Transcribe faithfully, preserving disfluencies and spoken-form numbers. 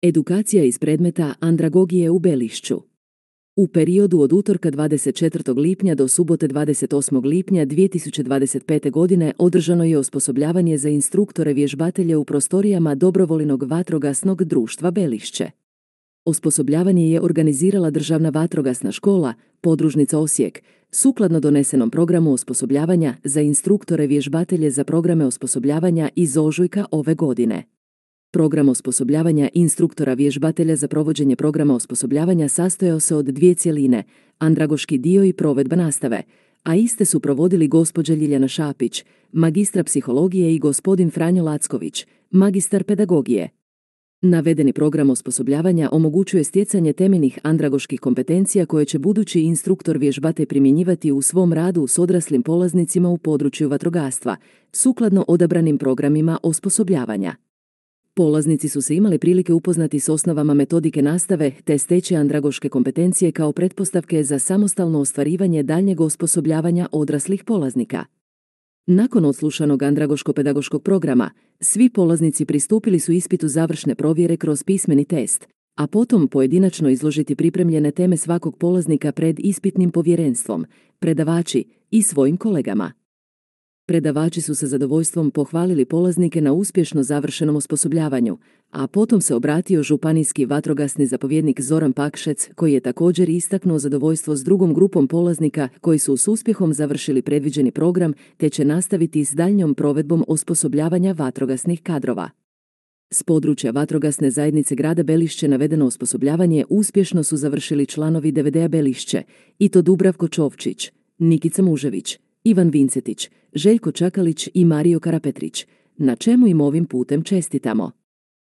Edukacija iz predmeta andragogije u Belišću. U periodu od utorka dvadeset četvrtog lipnja do subote dvadeset osmog lipnja dvije tisuće dvadeset pete. godine održano je osposobljavanje za instruktore vježbatelje u prostorijama Dobrovoljnog vatrogasnog društva Belišće. Osposobljavanje je organizirala Državna vatrogasna škola, podružnica Osijek, sukladno donesenom programu osposobljavanja za instruktore vježbatelje za programe osposobljavanja iz ožujka ove godine. Program osposobljavanja instruktora vježbatelja za provođenje programa osposobljavanja sastojao se od dvije cjeline, andragoški dio i provedba nastave, a iste su provodili gospođa Ljiljana Šapić, magistra psihologije i gospodin Franjo Lacković, magistar pedagogije. Navedeni program osposobljavanja omogućuje stjecanje temeljnih andragoških kompetencija koje će budući instruktor vježbatelj primjenjivati u svom radu s odraslim polaznicima u području vatrogastva, sukladno odabranim programima osposobljavanja. Polaznici su se imali prilike upoznati s osnovama metodike nastave te steći andragoške kompetencije kao pretpostavke za samostalno ostvarivanje daljnjeg osposobljavanja odraslih polaznika. Nakon odslušanog andragoško-pedagoškog programa, svi polaznici pristupili su ispitu završne provjere kroz pismeni test, a potom pojedinačno izložiti pripremljene teme svakog polaznika pred ispitnim povjerenstvom, predavači i svojim kolegama. Predavači su sa zadovoljstvom pohvalili polaznike na uspješno završenom osposobljavanju, a potom se obratio županijski vatrogasni zapovjednik Zoran Pakšec, koji je također istaknuo zadovoljstvo s drugom grupom polaznika koji su s uspjehom završili predviđeni program te će nastaviti s daljnjom provedbom osposobljavanja vatrogasnih kadrova. S područja vatrogasne zajednice grada Belišće navedeno osposobljavanje uspješno su završili članovi D V D-a Belišće, i to Dubravko Čovčić, Nikica Mužević, Ivan Vincetić, Željko Čakalić i Mario Karapetrić, na čemu im ovim putem čestitamo.